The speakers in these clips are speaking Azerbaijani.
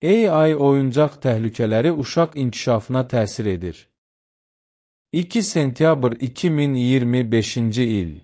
AI oyuncaq təhlükələri uşaq inkişafına təsir edir. 2 sentyabr 2025-ci il.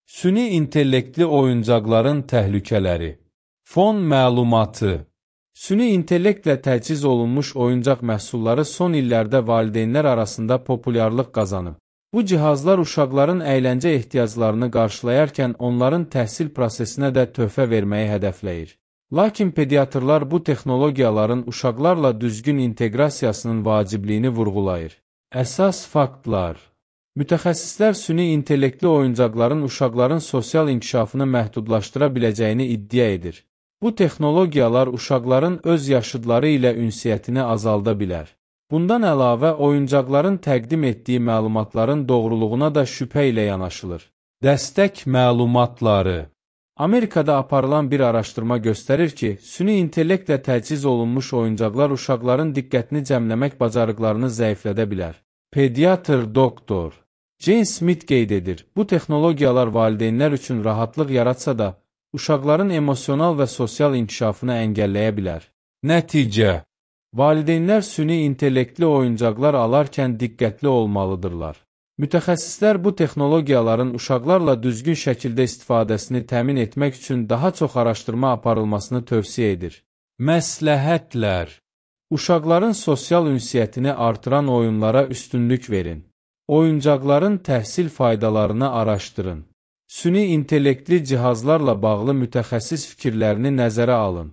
Süni intellektli oyuncaqların təhlükələri. Fon məlumatı. Süni intellektlə təchiz olunmuş oyuncaq məhsulları son illərdə valideynlər arasında populyarlıq qazanıb. Bu cihazlar uşaqların əyləncə ehtiyaclarını qarşılayarkən onların təhsil prosesinə də töhfə verməyi hədəfləyir. Lakin pediatrlar bu texnologiyaların uşaqlarla düzgün inteqrasiyasının vacibliyini vurğulayır. Əsas faktlar. Mütəxəssislər süni intellektli oyuncaqların uşaqların sosial inkişafını məhdudlaşdıra biləcəyini iddia edir. Bu texnologiyalar uşaqların öz yaşıdları ilə ünsiyyətini azalda bilər. Bundan əlavə, oyuncaqların təqdim etdiyi məlumatların doğruluğuna da şübhə ilə yanaşılır. Dəstək məlumatları. Amerikada aparılan bir araşdırma göstərir ki, süni intellektlə təchiz olunmuş oyuncaqlar uşaqların diqqətini cəmləmək bacarıqlarını zəiflədə bilər. Pediatr doktor Jane Smith qeyd edir, bu texnologiyalar valideynlər üçün rahatlıq yaratsa da, uşaqların emosional və sosial inkişafını əngəlləyə bilər. Nəticə. Valideynlər süni intellektli oyuncaqlar alarkən diqqətli olmalıdırlar. Mütəxəssislər bu texnologiyaların uşaqlarla düzgün şəkildə istifadəsini təmin etmək üçün daha çox araşdırma aparılmasını tövsiyə edir. Məsləhətlər. Uşaqların sosial ünsiyyətini artıran oyunlara üstünlük verin. Oyuncaqların təhsil faydalarını araşdırın. Süni intellektli cihazlarla bağlı mütəxəssis fikirlərini nəzərə alın.